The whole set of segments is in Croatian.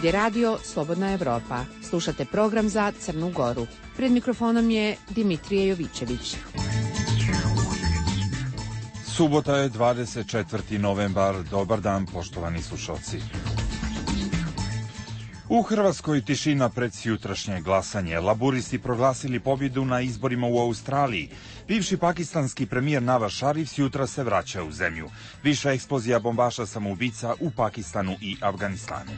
Ovdje radio Slobodna Evropa. Slušate program za Crnu Goru. Pred mikrofonom je Dimitrije Jovićević. Subota je 24. novembar. Dobar dan, poštovani slušalci. U Hrvatskoj tišina pred sjutrašnje glasanje. Laburisti proglasili pobjedu na izborima u Australiji. Bivši pakistanski premijer Nawaz Sharif jutra se vraća u zemlju. Viša eksplozija bombaša samoubica u Pakistanu i Afganistanu.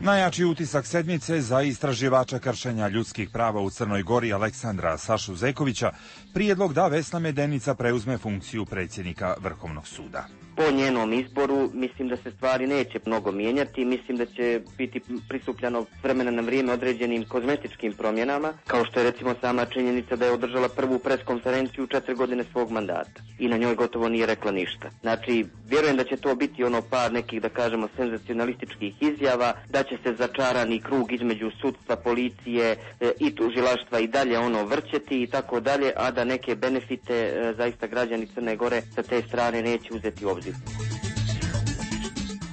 Najjači utisak sedmice za istraživača kršenja ljudskih prava u Crnoj Gori Aleksandra Sašu Zekovića, prijedlog da Vesna Medenica preuzme funkciju predsjednika Vrhovnog suda. Po njenom izboru mislim da se stvari neće mnogo mijenjati, mislim da će biti pristupljeno vremena na vrijeme određenim kozmetičkim promjenama, kao što je recimo sama činjenica da je održala prvu preskonferenciju 4 godine svog mandata i na njoj gotovo nije rekla ništa. Znači, vjerujem da će to biti par nekih, da kažemo, senzacionalističkih izjava, da će se začarani krug između sudstva, policije i tužilaštva i dalje vrćeti i tako dalje, a da neke benefite zaista građani Crne Gore sa te strane neće uzeti u obzir.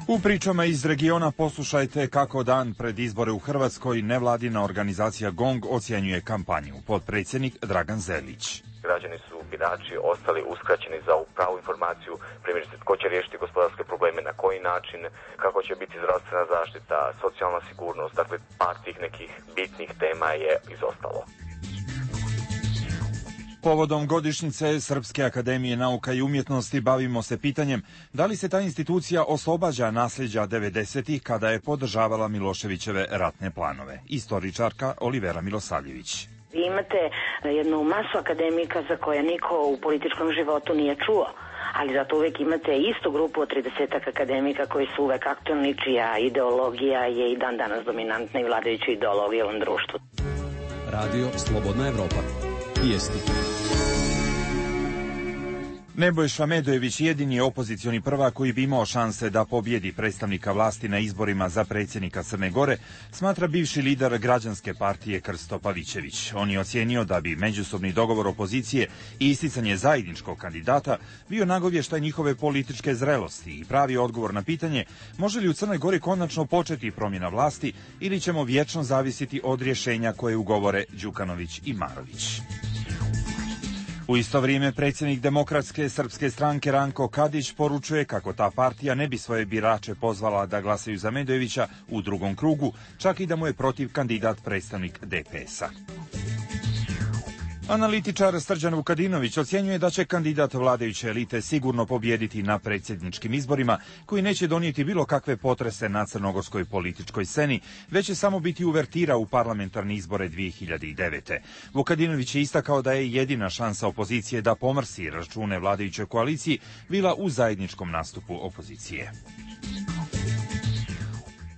U pričama iz regiona poslušajte kako dan pred izbore u Hrvatskoj nevladina organizacija GONG ocjenjuje kampanju. Potpredsjednik Dragan Zelić. Građani su, birači, ostali uskraćeni za pravu informaciju, primjerice tko će riješiti gospodarske probleme, na koji način, kako će biti zdravstvena zaštita, socijalna sigurnost, dakle par tih nekih bitnih tema je izostalo. Povodom godišnjice Srpske akademije nauka i umjetnosti bavimo se pitanjem da li se ta institucija oslobađa nasljeđa 90-ih kada je podržavala Miloševićeve ratne planove. Istoričarka Olivera Milosavljević. Vi imate jednu masu akademika za koje niko u političkom životu nije čuo, ali zato uvijek imate istu grupu od 30 akademika koji su uvijek aktualni, čija ideologija je i dan danas dominantna i vladajuća ideologija u ovom društvu. Radio Slobodna Evropa. Vijesti. Nebojša Medojević jedini je opozicioni prvak koji bi imao šanse da pobjedi predstavnika vlasti na izborima za predsjednika Crne Gore, smatra bivši lider građanske partije Krsto Pavićević. On je ocijenio da bi međusobni dogovor opozicije i isticanje zajedničkog kandidata bio nagovještaj njihove političke zrelosti i pravi odgovor na pitanje može li u Crnoj Gori konačno početi promjena vlasti ili ćemo vječno zavisiti od rješenja koje ugovore Đukanović i Marović. U isto vrijeme predsjednik Demokratske srpske stranke Ranko Kadić poručuje kako ta partija ne bi svoje birače pozvala da glasaju za Medojevića u drugom krugu, čak i da mu je protiv kandidat predstavnik DPS-a. Analitičar Srđan Vukadinović ocjenjuje da će kandidat vladajuće elite sigurno pobijediti na predsjedničkim izborima, koji neće donijeti bilo kakve potrese na crnogorskoj političkoj sceni, već će samo biti uvertira u parlamentarne izbore 2009. Vukadinović je istakao da je jedina šansa opozicije da pomrsi račune vladajućoj koaliciji bila u zajedničkom nastupu opozicije.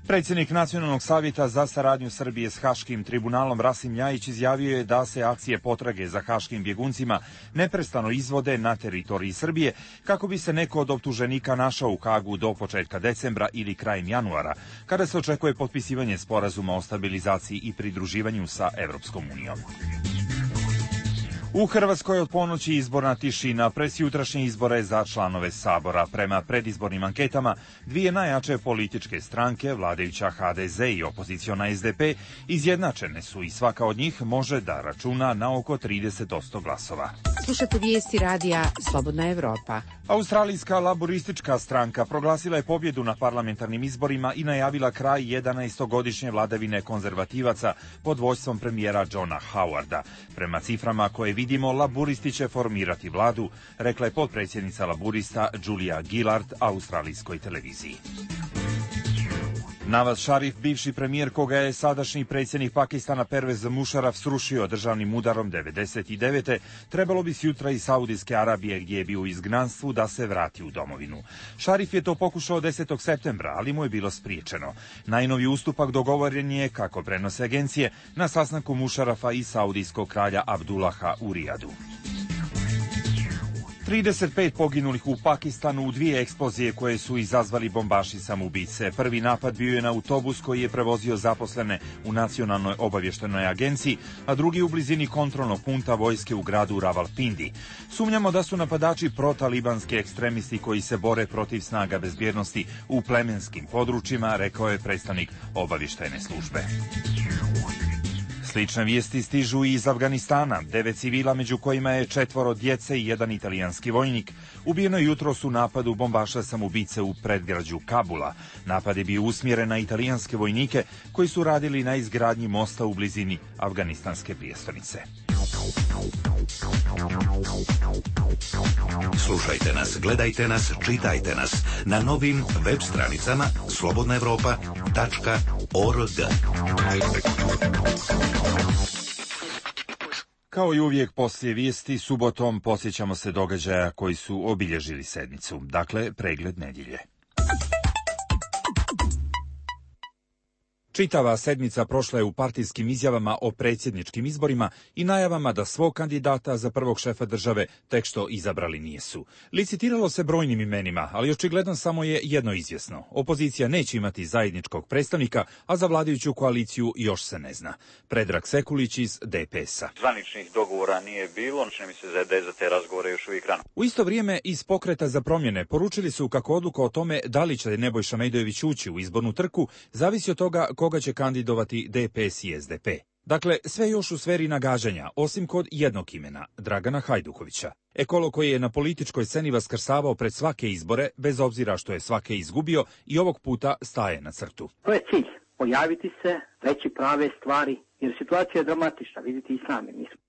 Predsjednik Nacionalnog savjeta za saradnju Srbije s Haškim tribunalom Rasim Ljajić izjavio je da se akcije potrage za haškim bjeguncima neprestano izvode na teritoriji Srbije kako bi se neko od optuženika našao u Hagu do početka decembra ili krajem januara, kada se očekuje potpisivanje sporazuma o stabilizaciji i pridruživanju sa Evropskom unijom. U Hrvatskoj od ponoći izborna tišina pred jutrašnje izbore za članove Sabora. Prema predizbornim anketama, dvije najjače političke stranke, vladajuća HDZ i opoziciona SDP, izjednačene su i svaka od njih može da računa na oko 30% glasova. Slušate vijesti radija Slobodna Evropa. Australijska laboristička stranka proglasila je pobjedu na parlamentarnim izborima i najavila kraj 11-godišnje vladavine konzervativaca pod vođstvom premijera Johna Howarda. Prema ciframa koje vidimo, laburisti će formirati vladu, rekla je potpredsjednica laburista Julia Gillard australijskoj televiziji. Nawaz Sharif, bivši premijer koga je sadašnji predsjednik Pakistana Pervez Musharraf srušio državnim udarom 99. trebalo bi sjutra iz Saudijske Arabije, gdje je bio u izgnanstvu, da se vrati u domovinu. Sharif je to pokušao 10. septembra, ali mu je bilo spriječeno. Najnoviji ustupak dogovoren je, kako prenose agencije, na sastanku Musharrafa i saudijskog kralja Abdullaha u Rijadu. 35 poginulih u Pakistanu u 2 eksplozije koje su izazvali bombaši samoubice. Prvi napad bio je na autobus koji je prevozio zaposlene u Nacionalnoj obavještajnoj agenciji, a drugi u blizini kontrolnog punta vojske u gradu Ravalpindi. Sumnjamo da su napadači protalibanski ekstremisti koji se bore protiv snaga bezbjednosti u plemenskim područjima, rekao je predstavnik obavještajne službe. Slične vijesti stižu i iz Afganistana. 9 civila, među kojima je 4 djece i 1 italijanski vojnik, ubijeno jutros u napadu bombaša samoubice u predgrađu Kabula. Napad je bio usmjeren na italijanske vojnike koji su radili na izgradnji mosta u blizini afganistanske prijestolnice. Slušajte nas, gledajte nas, čitajte nas na novim web stranicama slobodnaevropa.org. Kao i uvijek poslije vijesti, subotom posjećamo se događaja koji su obilježili sedmicu. Dakle, pregled nedjelje. Čitava sedmica prošla je u partijskim izjavama o predsjedničkim izborima i najavama da svog kandidata za prvog šefa države tek što izabrali nijesu. Licitiralo se brojnim imenima, ali očigledno samo je jedno izvjesno. Opozicija neće imati zajedničkog predstavnika, a za vladajuću koaliciju još se ne zna. Predrag Sekulić iz DPS-a. Zvaničnih dogovora nije bilo, čini mi se da je za te razgovore još uvijek rano. U isto vrijeme iz Pokreta za promjene poručili su kako odluka o tome da li će Nebojša Mejdojević ući u izbornu trku zavisi od toga koga će kandidovati DPS i SDP. Dakle, sve još u sferi nagađanja, osim kod jednog imena, Dragana Hajdukovića. Ekolog koji je na političkoj sceni vaskrsavao pred svake izbore, bez obzira što je svake izgubio, i ovog puta staje na crtu. To je cilj, pojaviti se, reći prave stvari, jer situacija je dramatična, vidite i sami nismo.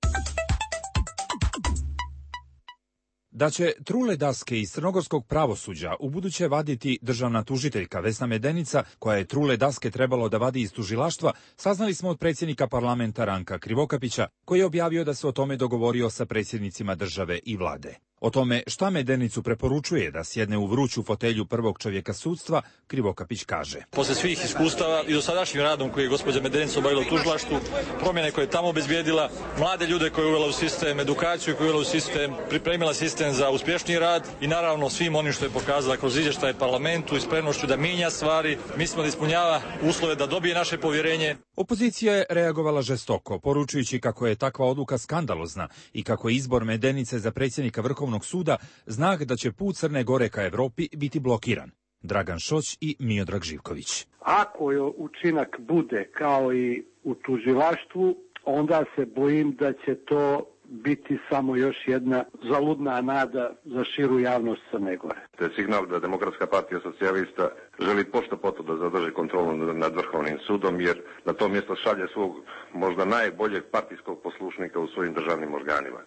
Da će trule daske iz crnogorskog pravosuđa ubuduće vaditi državna tužiteljka Vesna Medenica, koja je trule daske trebalo da vadi iz tužilaštva, saznali smo od predsjednika parlamenta Ranka Krivokapića, koji je objavio da se o tome dogovorio sa predsjednicima države i vlade. O tome šta Medenicu preporučuje da sjedne u vruću fotelju prvog čovjeka sudstva, Krivokapić kaže. Posle svih iskustava i dosadašnjim radom koji je gospođa Medenica obavila u tužilaštvu, promjene koje je tamo obezbijedila, mlade ljude koje je uvela u sistem, edukaciju koju je uvela u sistem, pripremila sistem za uspješniji rad i naravno svim onim što je pokazala kroz izvještaje parlamentu i spremnošću da mijenja stvari, mislimo da ispunjava uslove da dobije naše povjerenje. Opozicija je reagovala žestoko, poručujući kako je takva odluka skandalozna i kako je izbor Medenice za predsjednika Vrhovnog suda znak da će put Crne Gore ka Europi biti blokiran. Dragan Šoć i Miodrag Živković. Ako je učinak bude kao i u tužilaštvu, onda se bojim da će to biti samo još jedna zaludna nada za širu javnost Crne Gore. To je signal da Demokratska partija socijalista želi pošto poto da zadrži kontrolu nad Vrhovnim sudom, jer na to mjesto šalje svog možda najboljeg partijskog poslušnika u svojim državnim organima.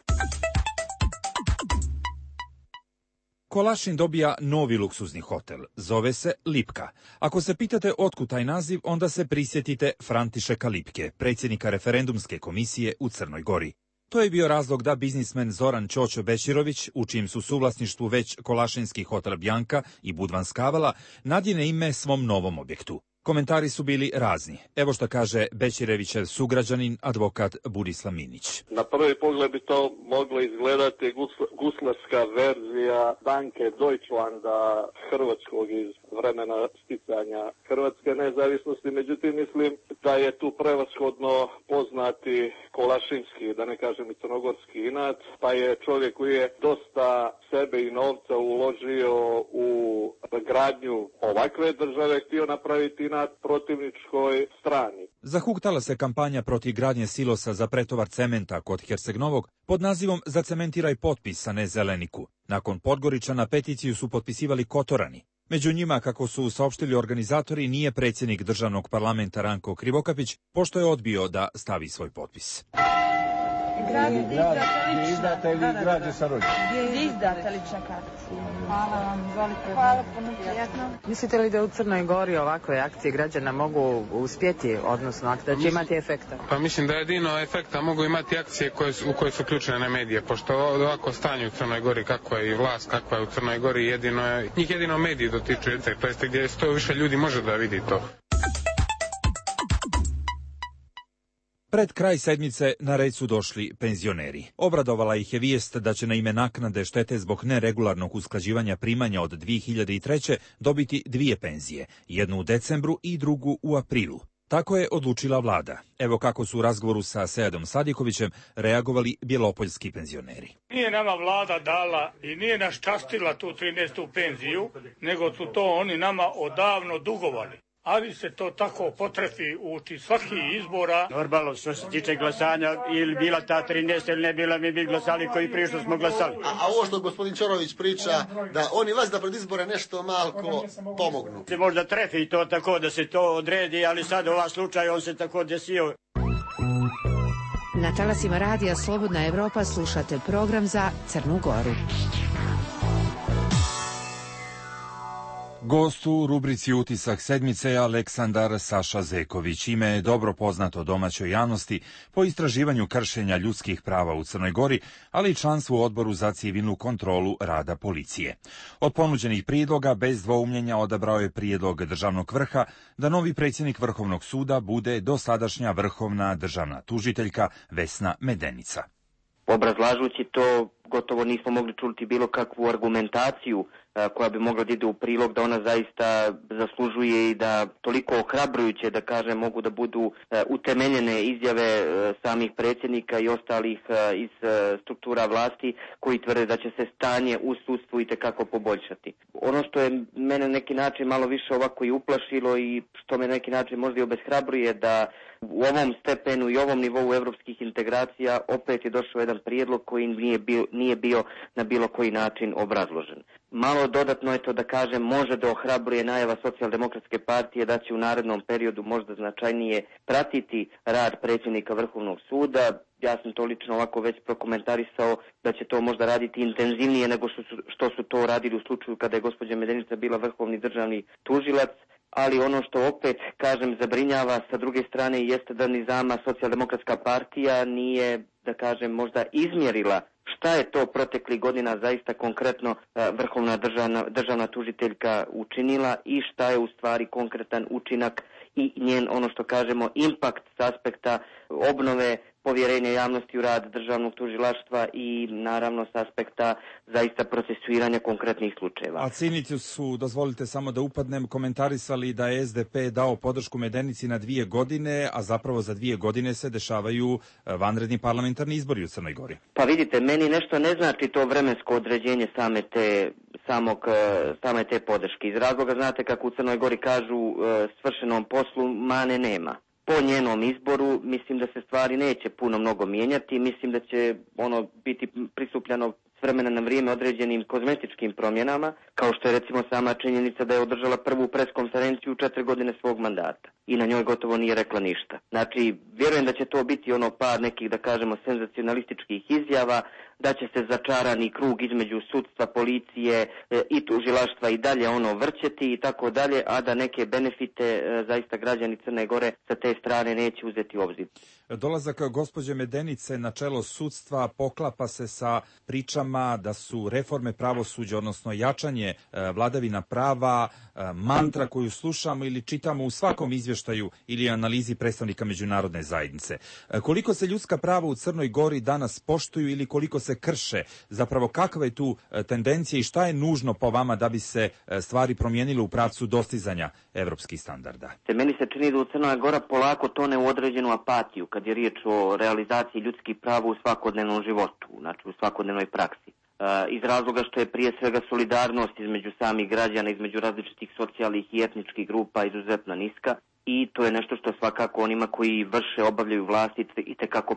Kolašin dobija novi luksuzni hotel. Zove se Lipka. Ako se pitate otkud taj naziv, onda se prisjetite Františeka Lipke, predsjednika referendumske komisije u Crnoj Gori. To je bio razlog da biznismen Zoran Ćoćo Bečirović, u čijem su suvlasništvu već Kolašinski hotel Bjanka i Budvan Skavala, nadjene ime svom novom objektu. Komentari su bili razni. Evo što kaže Bečirevićev sugrađanin, advokat Burislav Minić. Na prvi pogled bi to moglo izgledati guslarska verzija banke Deutschlanda hrvatskog iz vremena sticanja hrvatske nezavisnosti. Međutim, mislim da je tu prevashodno poznati kolašinski, da ne kažem i crnogorski inat, pa je čovjek koji je dosta sebe i novca uložio u gradnju ovakve države htio napraviti na protivničkoj strani. Zahuktala se kampanja protiv gradnje silosa za pretovar cementa kod Herceg Novog pod nazivom Zacementiraj potpis, a ne Zeleniku. Nakon Podgoričana peticiju su potpisivali Kotorani. Među njima, kako su saopštili organizatori, nije predsjednik državnog parlamenta Ranko Krivokapić, pošto je odbio da stavi svoj potpis. Izdate li građe sa rođe? Izdate li čekati? Hvala vam, izvolite. Hvala, puno prijetno. Mislite li da u Crnoj Gori ovakve akcije građana mogu uspjeti, odnosno da će imati efekta? Pa mislim da jedino efekta mogu imati akcije u koje su uključene medije, pošto ovako stanje u Crnoj Gori, kako je i vlast, kako je u Crnoj Gori, njih jedino mediji dotiču, to jest gdje sto više ljudi može da vidi to. Pred kraj sedmice na red su došli penzioneri. Obradovala ih je vijest da će na ime naknade štete zbog neregularnog usklađivanja primanja od 2003. dobiti 2 penzije, jednu u decembru i drugu u aprilu. Tako je odlučila vlada. Evo kako su u razgovoru sa Seadom Sadikovićem reagovali bjelopoljski penzioneri. Nije nama vlada dala i nije nas častila tu 13. penziju, nego su to oni nama odavno dugovali. Ali se to tako potrefi uči svaki izbora. Normalno, što se tiče glasanja, ili bila ta 13 ili ne bila, mi bi glasali koji prije što smo glasali. A ovo što gospodin Ćorović priča, da oni vas da pred izbore nešto malko pomognu. Se možda trefi to tako da se to odredi, ali sad ova slučaj on se tako desio. Na talasima radija Slobodna Evropa slušate program za Crnu Goru. Gost u rubrici Utisak sedmice je Aleksandar Saša Zeković. Ime je dobro poznato domaćoj javnosti po istraživanju kršenja ljudskih prava u Crnoj Gori, ali i članstvu u Odboru za civilnu kontrolu rada policije. Od ponuđenih prijedloga bez dvoumljenja odabrao je prijedlog državnog vrha da novi predsjednik Vrhovnog suda bude dosadašnja vrhovna državna tužiteljka Vesna Medenica. Obrazlažući to, gotovo nismo mogli čuti bilo kakvu argumentaciju koja bi mogla da ide u prilog da ona zaista zaslužuje i da toliko ohrabrujuće, da kažem, mogu da budu utemeljene izjave samih predsjednika i ostalih iz struktura vlasti koji tvrde da će se stanje u sudstvu itekako poboljšati. Ono što je mene na neki način malo više ovako i uplašilo i što me na neki način možda i obeshrabruje da u ovom stepenu i ovom nivou evropskih integracija opet je došao jedan prijedlog koji nije bio na bilo koji način obrazložen. Malo dodatno je to, da kažem, može da ohrabruje najava Socijaldemokratske partije da će u narednom periodu možda značajnije pratiti rad predsjednika Vrhovnog suda. Ja sam to lično ovako već prokomentarisao da će to možda raditi intenzivnije nego što su to radili u slučaju kada je gospođa Medenica bila vrhovni državni tužilac. Ali ono što opet, kažem, zabrinjava sa druge strane jeste da ni sama Socijaldemokratska partija nije, da kažem, možda izmjerila šta je to proteklih godina zaista konkretno vrhovna državna tužiteljka učinila i šta je u stvari konkretan učinak i njen, ono što kažemo, impakt s aspekta obnove povjerenja javnosti u rad državnog tužilaštva i naravno s aspekta zaista procesuiranja konkretnih slučajeva. A cinici su, dozvolite samo da upadnem, komentarisali da je SDP dao podršku Medenici na 2 godine, a zapravo za 2 godine se dešavaju vanredni parlamentarni izbori u Crnoj Gori. Pa vidite, meni nešto ne znači to vremensko određenje same te podrške. Iz razloga, znate kako u Crnoj Gori kažu, svršenom poslu mane nema. Po njenom izboru mislim da se stvari neće puno mnogo mijenjati, mislim da će ono biti pristupljeno s vremena na vrijeme određenim kozmetičkim promjenama, kao što je recimo sama činjenica da je održala prvu preskonferenciju u 4 godine svog mandata i na njoj gotovo nije rekla ništa. Znači, vjerujem da će to biti ono par nekih, da kažemo, senzacionalističkih izjava, da će se začarani krug između sudstva, policije i tužilaštva i dalje ono vrćeti i tako dalje, a da neke benefite zaista građani Crne Gore sa te strane neće uzeti u obzir. Dolazak gospođe Medenice na čelo sudstva poklapa se sa pričama da su reforme pravosuđa, odnosno jačanje vladavina prava, mantra koju slušamo ili čitamo u svakom izvještaju ili analizi predstavnika međunarodne zajednice. Koliko se ljudska prava u Crnoj Gori danas poštuju ili koliko se krše? Zapravo kakva je tu tendencija i šta je nužno po vama da bi se stvari promijenile u pravcu dostizanja evropskih standarda? Meni se čini da u Crna Gora polako tone u određenu apatiju kad je riječ o realizaciji ljudskih prava u svakodnevnom životu, znači u svakodnevnoj praksi. Iz razloga što je prije svega solidarnost između samih građana, između različitih socijalnih i etničkih grupa izuzetno niska i to je nešto što svakako onima koji vrše, obavljaju vlasti itekako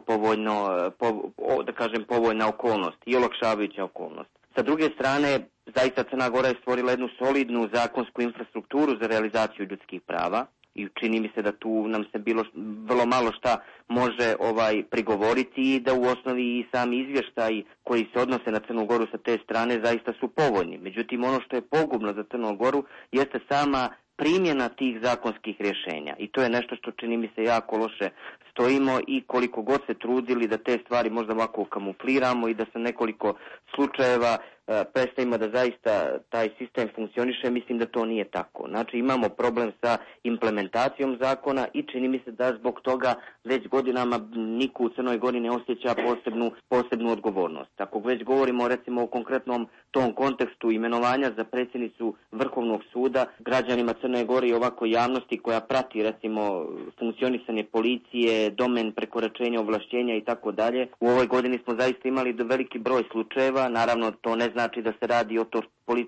povoljna okolnost i olakšavajuća okolnost. Sa druge strane, zaista Crna Gora je stvorila jednu solidnu zakonsku infrastrukturu za realizaciju ljudskih prava i čini mi se da tu nam se vrlo malo šta može prigovoriti i da u osnovi i sami izvještaji koji se odnose na Crnu Goru sa te strane zaista su povoljni. Međutim, ono što je pogubno za Crnu Goru jeste sama primjena tih zakonskih rješenja i to je nešto što čini mi se jako loše stojimo i koliko god se trudili da te stvari možda ovako kamufliramo i da sa nekoliko slučajeva predstavimo da zaista taj sistem funkcioniše, mislim da to nije tako. Znači imamo problem sa implementacijom zakona i čini mi se da zbog toga već godinama niko u Crnoj Gori ne osjeća posebnu odgovornost. Ako već govorimo recimo o konkretnom tom kontekstu imenovanja za predsjednicu Vrhovnog suda, građanima Crne Gore i ovako javnosti koja prati recimo funkcionisanje policije, domen prekoračenja ovlašćenja i tako dalje, u ovoj godini smo zaista imali veliki broj slučajeva. Naravno to ne znači da se radi o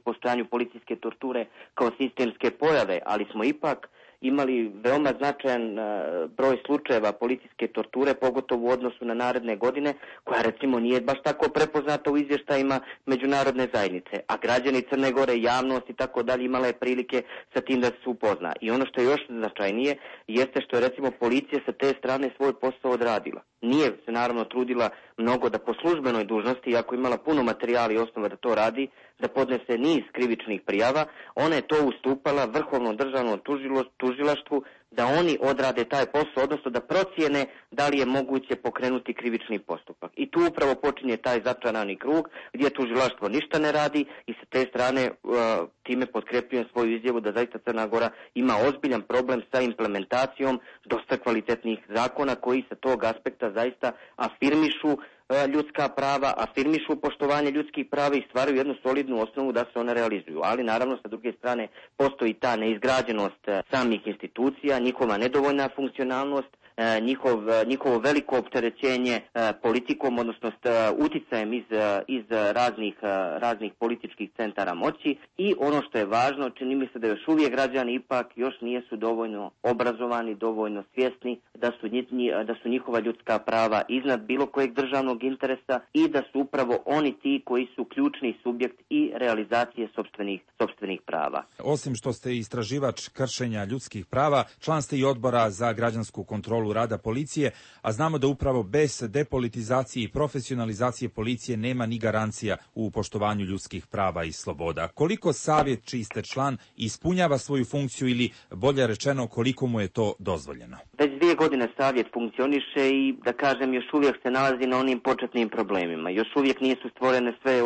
postojanju policijske torture kao sistemske pojave, ali smo ipak imali veoma značajan broj slučajeva policijske torture, pogotovo u odnosu na naredne godine, koja recimo nije baš tako prepoznata u izvještajima međunarodne zajednice, a građani Crne Gore, javnost i tako dalje imala je prilike sa tim da se upozna. I ono što je još značajnije jeste što je recimo policija sa te strane svoj posao odradila. Nije se naravno trudila mnogo da po službenoj dužnosti, iako imala puno materijala i osnova da to radi, da podnese niz krivičnih prijava, ona je to ustupala Vrhovnom državnom tužilaštvu da oni odrade taj posao, odnosno da procijene da li je moguće pokrenuti krivični postupak. I tu upravo počinje taj začarani krug gdje tužilaštvo ništa ne radi i sa te strane time potkrepljujem svoju izjavu da zaista Crna Gora ima ozbiljan problem sa implementacijom dosta kvalitetnih zakona koji sa tog aspekta zaista afirmišu ljudska prava, afirmišu poštovanje ljudskih prava i stvaraju jednu solidnu osnovu da se one realizuju. Ali naravno sa druge strane postoji ta neizgrađenost samih institucija, njihova nedovoljna funkcionalnost, njihovo veliko opterećenje politikom, odnosno uticajem iz raznih političkih centara moći i ono što je važno, čini mi se da još uvijek građani ipak još nisu dovoljno obrazovani, dovoljno svjesni da su njihova ljudska prava iznad bilo kojeg državnog interesa i da su upravo oni ti koji su ključni subjekt i realizacije sopstvenih prava. Osim što ste istraživač kršenja ljudskih prava, član ste i odbora za građansku kontrolu rada policije, a znamo da upravo bez depolitizacije i profesionalizacije policije nema ni garancija u poštovanju ljudskih prava i sloboda. Koliko savjet, čiji ste član, ispunjava svoju funkciju ili, bolje rečeno, koliko mu je to dozvoljeno? Već 2 godine savjet funkcioniše i, da kažem, još uvijek se nalazi na onim početnim problemima. Još uvijek nisu stvorene sve,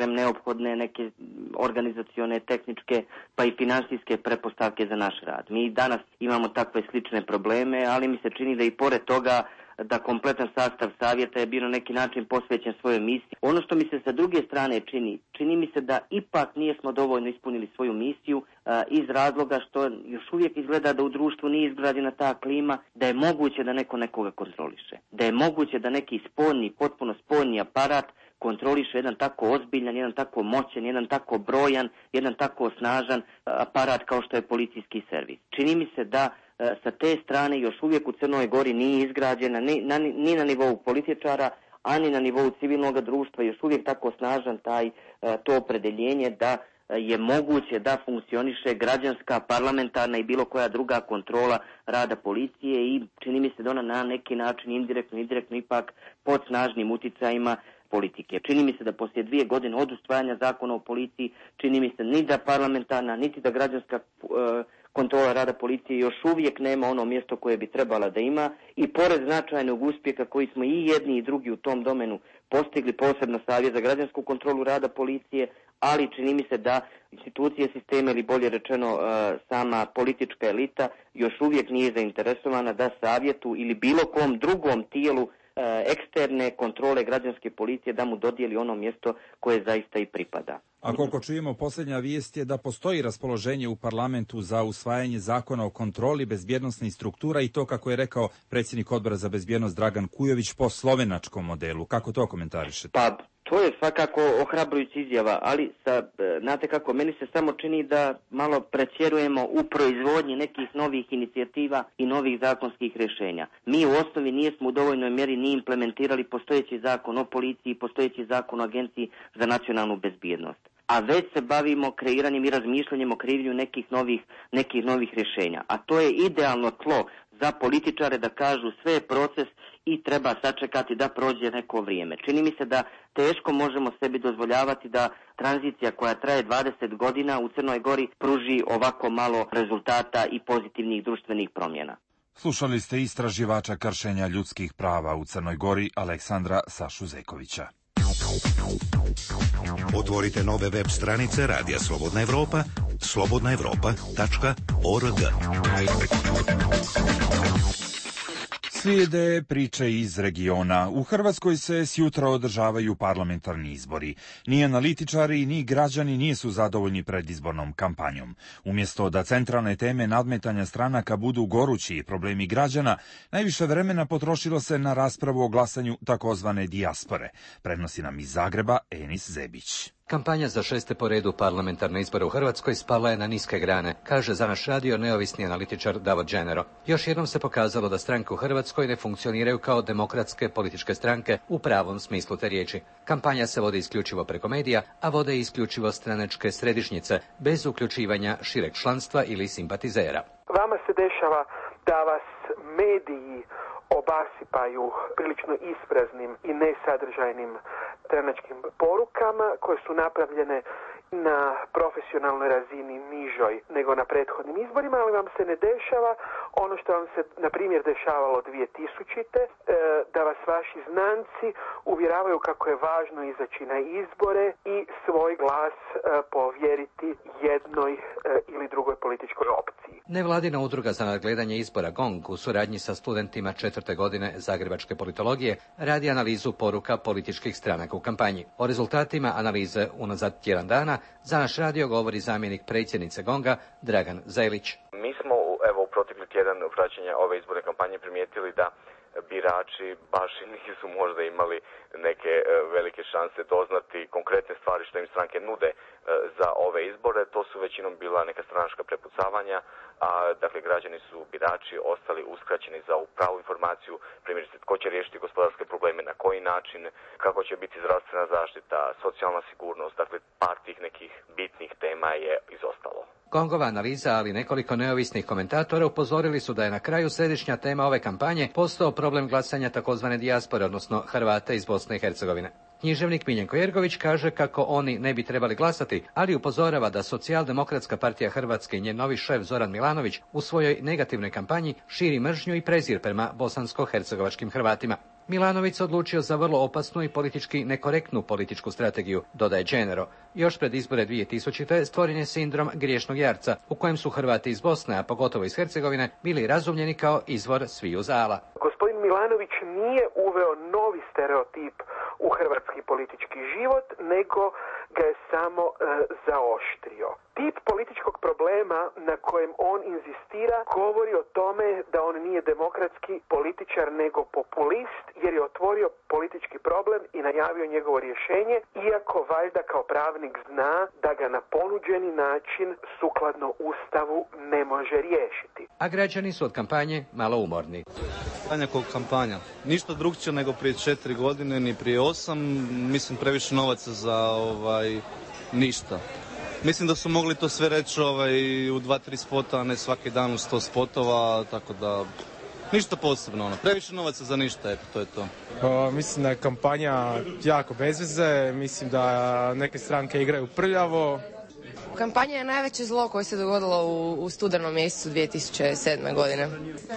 neophodne neke organizacione, tehničke, pa i finansijske pretpostavke za naš rad. Mi danas imamo takve slične probleme, ali mi se čini da i pored toga da kompletan sastav savjeta je bio na neki način posvećen svojoj misiji. Ono što mi se sa druge strane čini mi se da ipak nismo dovoljno ispunili svoju misiju iz razloga što još uvijek izgleda da u društvu nije izgrađena ta klima da je moguće da neko nekoga kontroliše. Da je moguće da neki potpuno spoljni aparat kontroliše jedan tako ozbiljan, jedan tako moćan, jedan tako brojan, jedan tako snažan aparat kao što je policijski servis. Čini mi se da sa te strane još uvijek u Crnoj Gori nije izgrađena ni na nivou političara, ani na nivou civilnog društva, još uvijek tako snažan to opredeljenje da je moguće da funkcioniše građanska, parlamentarna i bilo koja druga kontrola rada policije i čini mi se da ona na neki način indirektno ipak pod snažnim uticajima politike. Čini mi se da poslije 2 godine od usvajanja zakona o policiji, čini mi se ni da parlamentarna, niti da građanska kontrola rada policije još uvijek nema ono mjesto koje bi trebala da ima i pored značajnog uspjeha koji smo i jedni i drugi u tom domenu postigli, posebno Savjet za građansku kontrolu rada policije, ali čini mi se da institucije sistema ili bolje rečeno sama politička elita još uvijek nije zainteresovana da savjetu ili bilo kom drugom tijelu eksterne kontrole građanske policije da mu dodijeli ono mjesto koje zaista i pripada. A koliko čujemo, posljednja vijest je da postoji raspoloženje u parlamentu za usvajanje zakona o kontroli bezbjednosnih struktura i to, kako je rekao predsjednik odbora za bezbjednost Dragan Kujović, po slovenačkom modelu. Kako to komentarišete? Pa, to je svakako ohrabrujuća izjava, ali znate kako, meni se samo čini da malo pretjerujemo u proizvodnji nekih novih inicijativa i novih zakonskih rješenja. Mi u osnovi nismo u dovoljnoj mjeri ni implementirali postojeći zakon o policiji, postojeći zakon o Agenciji za nacionalnu bezbjednost. A već se bavimo kreiranjem i razmišljanjem o kreiraju nekih novih rješenja. A to je idealno tlo za političare da kažu sve je proces i treba sačekati da prođe neko vrijeme. Čini mi se da teško možemo sebi dozvoljavati da tranzicija koja traje 20 godina u Crnoj Gori pruži ovako malo rezultata i pozitivnih društvenih promjena. Slušali ste istraživača kršenja ljudskih prava u Crnoj Gori Aleksandra Sašu Zekovića. Otvorite nove web stranice Radija Slobodna Evropa, slobodnaevropa.org. Slijede priče iz regiona. U Hrvatskoj se sjutra održavaju parlamentarni izbori. Ni analitičari, ni građani nisu zadovoljni predizbornom kampanjom. Umjesto da centralne teme nadmetanja stranaka budu gorući problemi građana, najviše vremena potrošilo se na raspravu o glasanju takozvane dijaspore. Prenosi nam iz Zagreba Enis Zebić. Kampanja za 6. po redu parlamentarne izbore u Hrvatskoj spala je na niske grane, kaže za naš radio neovisni analitičar Davor Đenero. Još jednom se pokazalo da stranke u Hrvatskoj ne funkcioniraju kao demokratske političke stranke u pravom smislu te riječi. Kampanja se vodi isključivo preko medija, a vode isključivo stranačke središnjice, bez uključivanja šireg članstva ili simpatizera. Vama se dešava da vas mediji obasipaju prilično ispraznim i nesadržajnim stranačkim porukama koje su napravljene na profesionalnoj razini nižoj nego na prethodnim izborima, ali vam se ne dešava ono što vam se, na primjer, dešavalo 2000. Da vas vaši znanci uvjeravaju kako je važno izaći na izbore i svoj glas povjeriti jednoj ili drugoj političkoj opciji. Nevladina udruga za nadgledanje izbora GONG u suradnji sa studentima 4. godine Zagrebačke politologije radi analizu poruka političkih stranaka u kampanji. O rezultatima analize unazad tjedan dana za naš radio govori zamjenik predsjednice GONG-a Dragan Zelić. Mi smo u protekli tjedan praćenja ove izborne kampanje primijetili da birači baš nisu možda imali neke velike šanse doznati konkretne stvari što im stranke nude za ove izbore. To su većinom bila neka stranačka prepucavanja, a dakle građani su, birači, ostali uskraćeni za pravu informaciju, primjerice tko će riješiti gospodarske probleme, na koji način, kako će biti zdravstvena zaštita, socijalna sigurnost, dakle par tih nekih bitnih tema je izostalo. GONG-ova analiza, ali nekoliko neovisnih komentatora upozorili su da je na kraju središnja tema ove kampanje postao problem glasanja takozvane dijaspore, odnosno Hrvata iz Bosne i Hercegovine. Književnik Miljenko Jergović kaže kako oni ne bi trebali glasati, ali upozorava da Socijaldemokratska partija Hrvatske i njen novi šef Zoran Milanović u svojoj negativnoj kampanji širi mržnju i prezir prema bosansko-hercegovačkim Hrvatima. Milanović se odlučio za vrlo opasnu i politički nekorektnu političku strategiju, dodaje Đenero. Još pred izbore 2000. stvoren je sindrom griješnog jarca, u kojem su Hrvati iz Bosne, a pogotovo iz Hercegovine, bili razumljeni kao izvor sviju zala. Gospodin Milanović nije uveo novi stereotip u hrvatski politički život, nego ga je samo zaoštrio. Tip političkog problema na kojem on inzistira govori o tome da on nije demokratski političar nego populist, jer je otvorio politički problem i najavio njegovo rješenje, iako valjda kao pravnik zna da ga na ponuđeni način sukladno Ustavu ne može riješiti. A građani su od kampanje malo umorni. Kampanja. Ništa drugčije nego prije 4 godine, ni prije 8. Mislim previše novaca za ništa. Mislim da su mogli to sve reći u 2-3 spota, a ne svaki dan u 100 spotova, tako da ništa posebno. Previše novaca za ništa, eto, to je to. Mislim da je kampanja jako bez veze, mislim da neke stranke igraju prljavo. Kampanja je najveće zlo koje se dogodilo u studenom mjesecu 2007. godine.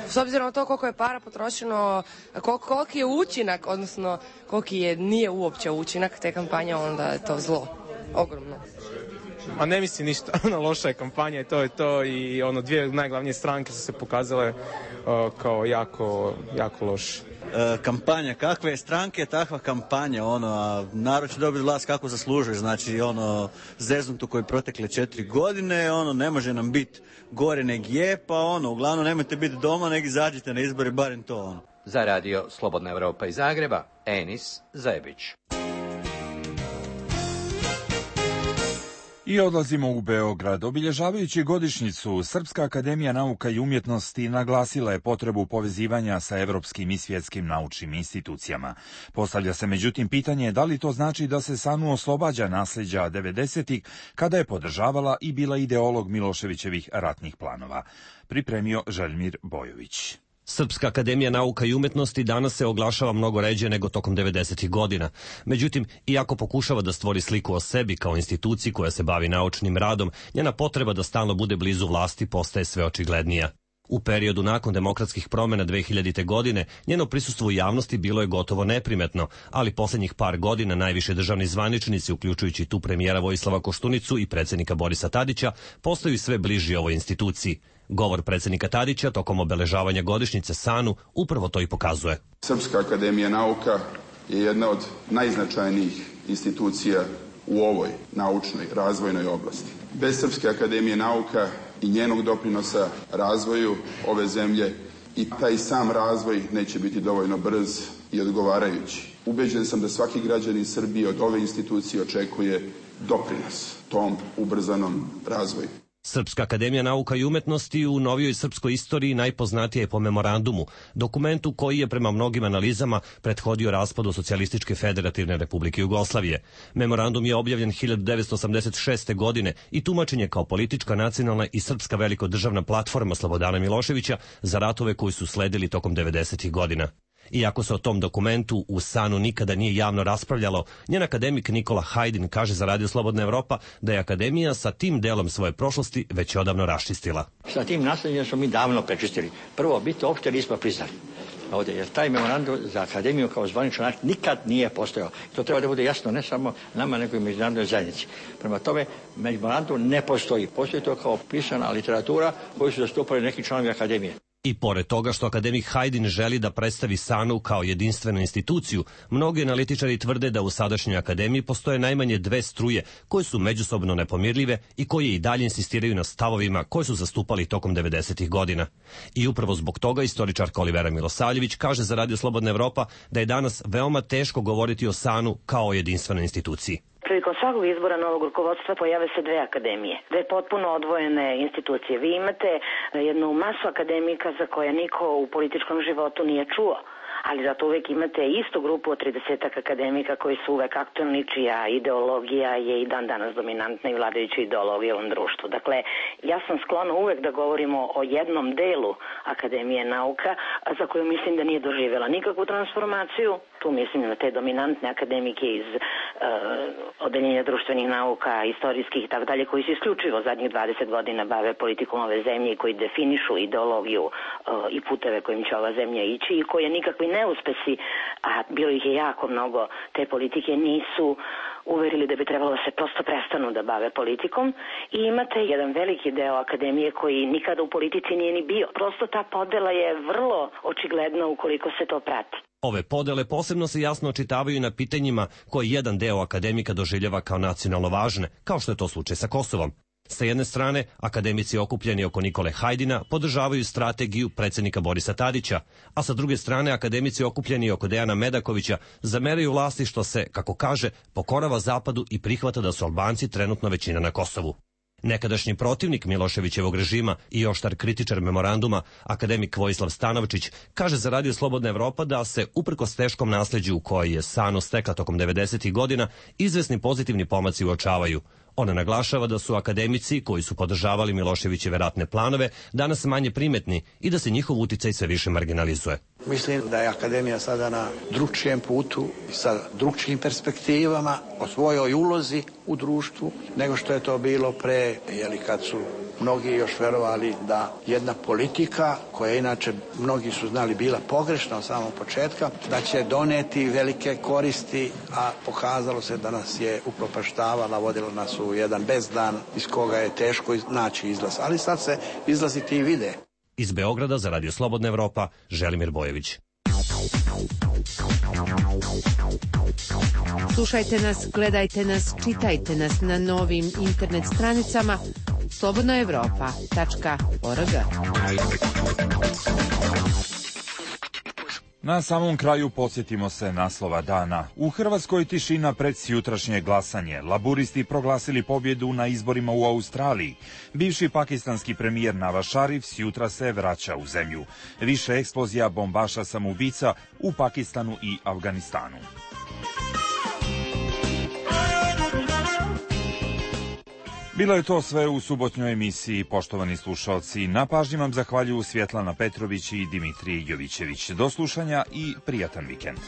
S obzirom na to koliko je para potrošeno, koliki je učinak, odnosno koliki nije uopće učinak te kampanje, onda je to zlo. Ogromno. A ne mislim ništa, loša je kampanja i to je to, i dvije najglavnije stranke su se pokazale kao jako loše. Kampanja, kakve stranke, takva kampanja, a narod će dobiti vlast kako zaslužuje, znači zeznutu koji protekle 4 godine, ne može nam biti gore neg je, pa uglavnom nemojte biti doma, nek izađite na izbori, barem to. Za radio Slobodna Evropa iz Zagreba, Enis Zebić. I odlazimo u Beograd. Obilježavajući godišnjicu, Srpska akademija nauka i umjetnosti naglasila je potrebu povezivanja sa evropskim i svjetskim naučnim institucijama. Postavlja se međutim pitanje da li to znači da se SANU oslobađa nasljeđa 90-ih, kada je podržavala i bila ideolog Miloševićevih ratnih planova. Pripremio Željmir Bojović. Srpska akademija nauka i umjetnosti danas se oglašava mnogo ređe nego tokom 90-ih godina. Međutim, iako pokušava da stvori sliku o sebi kao instituciji koja se bavi naučnim radom, njena potreba da stalno bude blizu vlasti postaje sve očiglednija. U periodu nakon demokratskih promjena 2000. godine njeno prisustvo u javnosti bilo je gotovo neprimetno, ali posljednjih par godina najviše državni zvaničnici, uključujući tu premijera Vojislava Koštunicu i predsjednika Borisa Tadića, postaju sve bliži ovoj instituciji. Govor predsjednika Tadića tokom obeležavanja godišnjice SANU upravo to i pokazuje. Srpska akademija nauka je jedna od najznačajnijih institucija u ovoj naučnoj razvojnoj oblasti. Bez Srpske akademije nauka i njenog doprinosa razvoju ove zemlje i taj sam razvoj neće biti dovoljno brz i odgovarajući. Ubeđen sam da svaki građanin Srbije od ove institucije očekuje doprinos tom ubrzanom razvoju. Srpska akademija nauka i umetnosti u novijoj srpskoj istoriji najpoznatija je po memorandumu, dokumentu koji je prema mnogim analizama prethodio raspadu Socijalističke federativne republike Jugoslavije. Memorandum je objavljen 1986. godine i tumačen je kao politička, nacionalna i srpska velikodržavna platforma Slobodana Miloševića za ratove koji su sledili tokom 90. godina. Iako se o tom dokumentu u SANU nikada nije javno raspravljalo, njen akademik Nikola Hajdin kaže za Radio Slobodna Evropa da je akademija sa tim delom svoje prošlosti već odavno raščistila. Sa tim nasledđem smo mi davno prečistili. Prvo, biti uopšte nismo priznali ovdje, jer taj memorandum za akademiju kao zvaničan akt nikad nije postojao. To treba da bude jasno ne samo nama, nego i međunarodnoj zajednici. Prema tome, memorandum ne postoji. Postoji to kao pisana literatura koju su zastupali neki članovi akademije. I pored toga što akademik Hajdin želi da predstavi SANU kao jedinstvenu instituciju, mnogi analitičari tvrde da u sadašnjoj akademiji postoje najmanje dve struje koje su međusobno nepomirljive i koje i dalje insistiraju na stavovima koje su zastupali tokom 90. godina. I upravo zbog toga istoričarka Olivera Milosavljević kaže za Radio Slobodna Evropa da je danas veoma teško govoriti o SANU kao o jedinstvenoj instituciji. Prilikom svakog izbora novog rukovodstva pojave se dve akademije, dve potpuno odvojene institucije. Vi imate jednu masu akademika za koje niko u političkom životu nije čuo, ali zato uvek imate istu grupu od 30 akademika koji su uvek aktualni, čija ideologija je i dan danas dominantna i vladajuća ideologija u ovom društvu. Dakle, ja sam sklona uvek da govorimo o jednom delu Akademije nauka, za koju mislim da nije doživjela nikakvu transformaciju. Tu mislim na te dominantne akademike iz odeljenja društvenih nauka, istorijskih i tako dalje, koji se isključivo zadnjih 20 godina bave politikom ove zemlje i koji definišu ideologiju i puteve kojim će ova zemlja ići i koje nikakvi neuspesi, a bilo ih je jako mnogo, te politike nisu uverili da bi trebalo da se prosto prestanu da bave politikom. I imate jedan veliki deo akademije koji nikada u politici nije ni bio. Prosto ta podela je vrlo očigledna ukoliko se to prati. Ove podele posebno se jasno očitavaju na pitanjima koje jedan deo akademika doživljava kao nacionalno važne, kao što je to slučaj sa Kosovom. Sa jedne strane, akademici okupljeni oko Nikole Hajdina podržavaju strategiju predsjednika Borisa Tadića, a sa druge strane akademici okupljeni oko Dejana Medakovića zameraju vlasti što se, kako kaže, pokorava Zapadu i prihvata da su Albanci trenutno većina na Kosovu. Nekadašnji protivnik Miloševićevog režima i oštar kritičar memoranduma, akademik Vojislav Stanovčić, kaže za Radio Slobodna Evropa da se, uprkos teškom nasljeđu koji je SANU stekla tokom 90. godina, izvesni pozitivni pomaci uočavaju. Ona naglašava da su akademici koji su podržavali Miloševićeve ratne planove danas manje primetni i da se njihov uticaj sve više marginalizuje. Mislim da je akademija sada na drugčijem putu, sa drugčijim perspektivama, o svojoj ulozi u društvu, nego što je to bilo pre, kad su mnogi još verovali da jedna politika, koja inače mnogi su znali bila pogrešna od samog početka, da će doneti velike koristi, a pokazalo se da nas je upropaštavala, vodila nas u jedan bezdan iz koga je teško naći izlaz. Ali sad se izlazi ti vide. Iz Beograda za Radio Slobodna Evropa, Želimir Bojević. Slušajte nas, gledajte nas, čitajte nas na novim internet stranicama slobodnaevropa.org. Na samom kraju podsjetimo se naslova dana. U Hrvatskoj tišina pred sjutrašnje glasanje. Laburisti proglasili pobjedu na izborima u Australiji. Bivši pakistanski premijer Nawaz Sharif sjutra se vraća u zemlju. Više eksplozija bombaša samoubica u Pakistanu i Afganistanu. Bilo je to sve u subotnjoj emisiji, poštovani slušalci. Na pažnji vam zahvaljuju Svjetlana Petrović i Dimitrije Jovićević. Do slušanja i prijatan vikend.